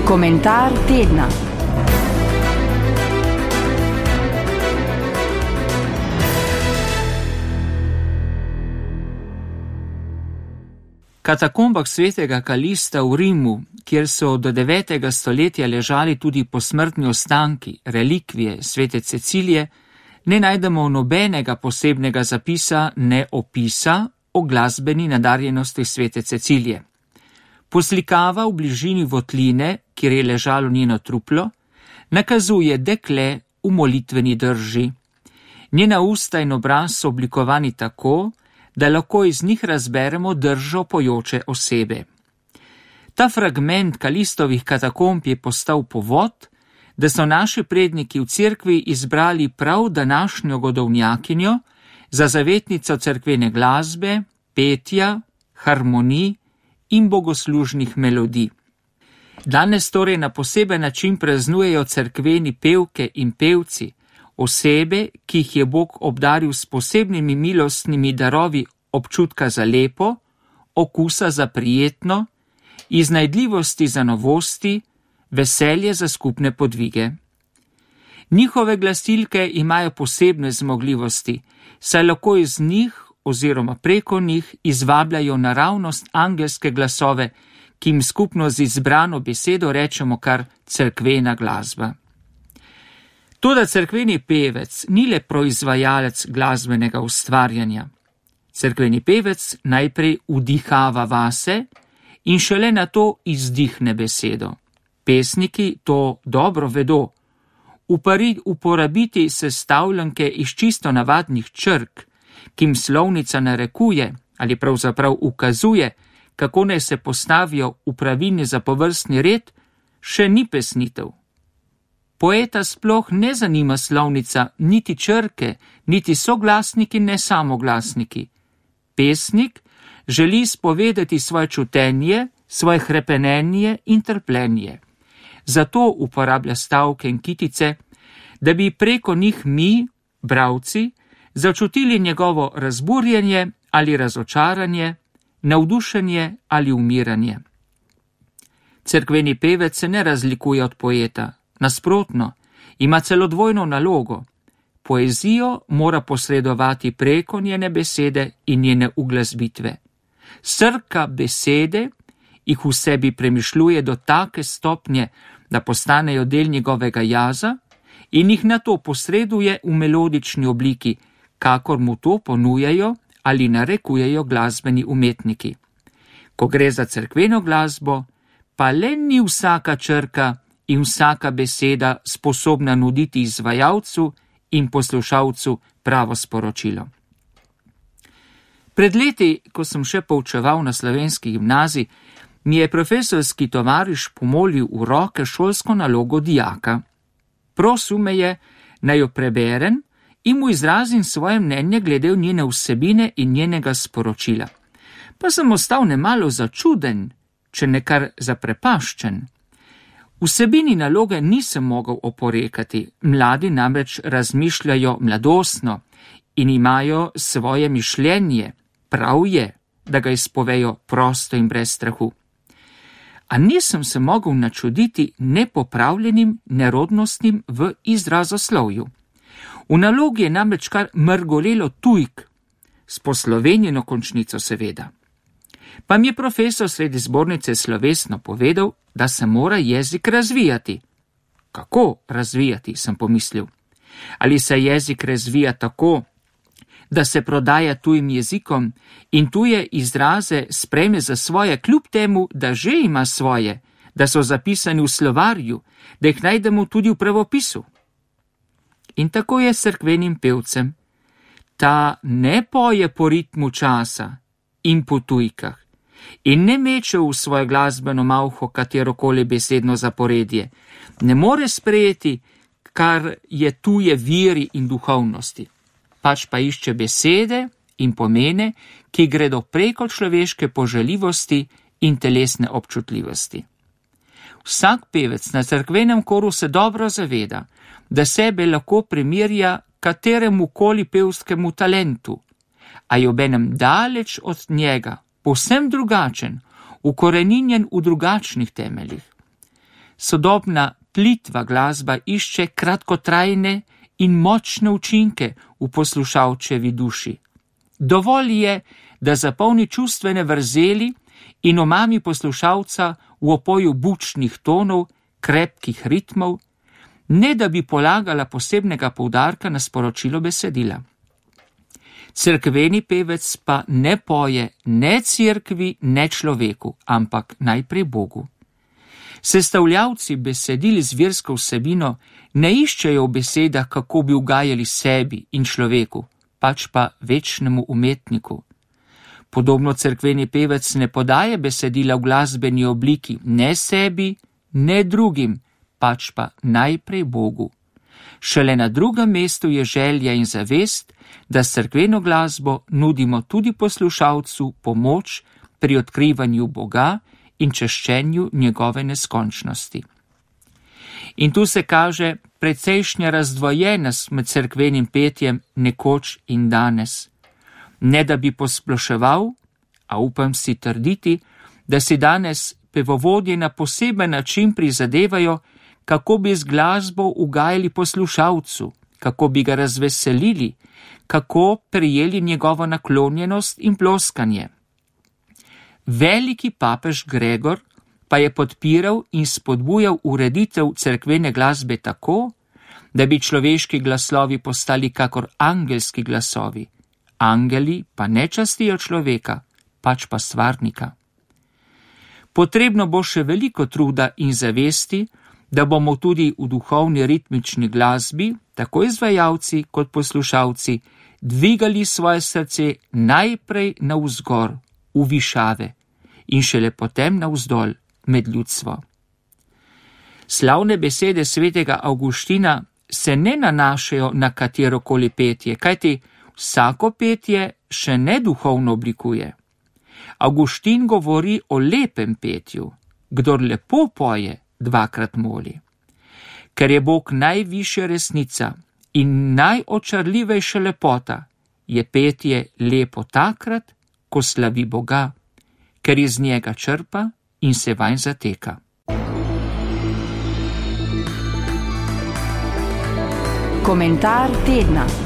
Komentar tedna. Katakombah svetega Kalista v Rimu, kjer so do 9. stoletja ležali tudi posmrtni ostanki, relikvije svete Cecilije, ne najdemo nobenega posebnega zapisa, ne opisa o glasbeni nadarjenosti svete Cecilije. Poslikava v bližini votline, kjer je ležalo njeno truplo, nakazuje dekle v molitveni drži. Njena usta in obraz so oblikovani tako, da lahko iz njih razberemo držo pojoče osebe. Ta fragment Kalistovih katakomb je postal povod, da so naši predniki v cerkvi izbrali prav današnjo godovnjakinjo za zavetnico cerkvene glasbe, petja, harmonij in bogoslužnih melodij. Danes torej na poseben način praznujejo cerkveni pevke in pevci, osebe, ki jih je Bog obdaril s posebnimi milostnimi darovi občutka za lepo, okusa za prijetno, iznajdljivosti za novosti, veselje za skupne podvige. Njihove glasilke imajo posebne zmogljivosti, saj lahko iz njih oziroma preko njih izvabljajo naravnost angelske glasove, ki jim skupno z izbrano besedo rečemo kar cerkvena glasba. Toda cerkveni pevec ni le proizvajalec glasbenega ustvarjanja. Cerkveni pevec najprej vdihava vase in šele nato izdihne besedo. Pesniki to dobro vedo. Uporabiti sestavljanke iz čisto navadnih črk, ki jim slovnica narekuje ali pravzaprav ukazuje, kako naj se postavijo v pravilni zapovrstni red, še ni pesnitev. Poeta sploh ne zanima slovnica, niti črke, niti soglasniki, ne samoglasniki. Pesnik želi spovedati svoje čutenje, svoje hrepenenje in trpljenje. Zato uporablja stavke in kitice, da bi preko njih mi, bralci, začutili njegovo razburjenje ali razočaranje, navdušenje ali umiranje. Cerkveni pevec se ne razlikuje od poeta. Nasprotno, ima celo dvojno nalogo. Poezijo mora posredovati preko njene besede in njene uglasbitve. Srka besede jih v sebi premišljuje do take stopnje, da postanejo del njegovega jaza in jih nato posreduje v melodični obliki, kakor mu to ponujajo ali narekujejo glasbeni umetniki. Ko gre za cerkveno glasbo, pa le ni vsaka črka in vsaka beseda sposobna nuditi izvajalcu in poslušalcu pravo sporočilo. Pred leti, ko sem še poučeval na slovenski gimnaziji, mi je profesorski tovariš pomolil v roke šolsko nalogo dijaka. Prosil me je, naj jo preberem in mu izrazim svoje mnenje glede njene vsebine in njenega sporočila. Pa sem ostal nemalo začuden, če ne kar zaprepaščen. Vsebini naloge nisem mogel oporekati, mladi namreč razmišljajo mladostno in imajo svoje mišljenje, prav je, da ga izpovejo prosto in brez strahu. A nisem se mogel načuditi nepopravljenim nerodnostim v izrazoslovju. V nalogi je namreč kar mrgolelo tujk, s poslovenjeno končnico seveda. Pa mi je profesor sredi zbornice slovesno povedal, da se mora jezik razvijati. Kako razvijati, sem pomislil. Ali se jezik razvija tako, da se prodaja tujim jezikom in tuje izraze sprejme za svoje, kljub temu, da že ima svoje, da so zapisani v slovarju, da jih najdemo tudi v pravopisu. In tako je s cerkvenim pevcem. Ta ne poje po ritmu časa in po tujkah in ne meče v svojo glasbeno malho katerokoli besedno zaporedje. Ne more sprejeti, kar je tuje viri in duhovnosti. Pač pa išče besede in pomene, ki gredo preko človeške poželjivosti in telesne občutljivosti. Vsak pevec na cerkvenem koru se dobro zaveda, da sebe lahko primerja kateremu koli pevskemu talentu, a je obenem daleč od njega, povsem drugačen, ukoreninjen v drugačnih temeljih. sodobna plitva glasba išče kratkotrajne in močne učinke v poslušalčevi duši. Dovolj je, da zapolni čustvene vrzeli in omami poslušalca v opoju bučnih tonov, krepkih ritmov, ne da bi polagala posebnega poudarka na sporočilo besedila. Cerkveni pevec pa ne poje ne cerkvi, ne človeku, ampak najprej Bogu. Sestavljavci besedil z versko vsebino ne iščejo v besedah, kako bi ugajali sebi in človeku, pač pa večnemu umetniku. Podobno cerkveni pevec ne podaje besedila v glasbeni obliki ne sebi, ne drugim, pač pa najprej Bogu. Šele na drugem mestu je želja in zavest, da s cerkveno glasbo nudimo tudi poslušalcu pomoč pri odkrivanju Boga in čaščenju njegove neskončnosti. In tu se kaže precejšnja razdvojenost med cerkvenim petjem nekoč in danes. Ne da bi posploševal, a upam si trditi, da si danes pevovodje na poseben način prizadevajo, kako bi z glasbo ugajali poslušalcu, kako bi ga razveselili, kako prijeli njegovo naklonjenost in ploskanje. Veliki papež Gregor pa je podpiral in spodbujal ureditev cerkvene glasbe tako, da bi človeški glaslovi postali kakor angelski glasovi. Angeli pa ne častijo človeka, pač pa stvarnika. Potrebno bo še veliko truda in zavesti, da bomo tudi v duhovni ritmični glasbi, tako izvajalci kot poslušalci, dvigali svoje srce najprej navzgor, v višave, in šele potem navzdol med ljudstvo. Slavne besede svetega Avguština se ne nanašajo na katerokoli petje, kajti vsako petje še ne duhovno oblikuje. Avguštin govori o lepem petju, kdor lepo poje, dvakrat moli. Ker je Bog najvišja resnica in najočarljivejša lepota, je petje lepo takrat, ko slavi Boga, ker iz njega črpa in se vanj zateka. Komentar tedna.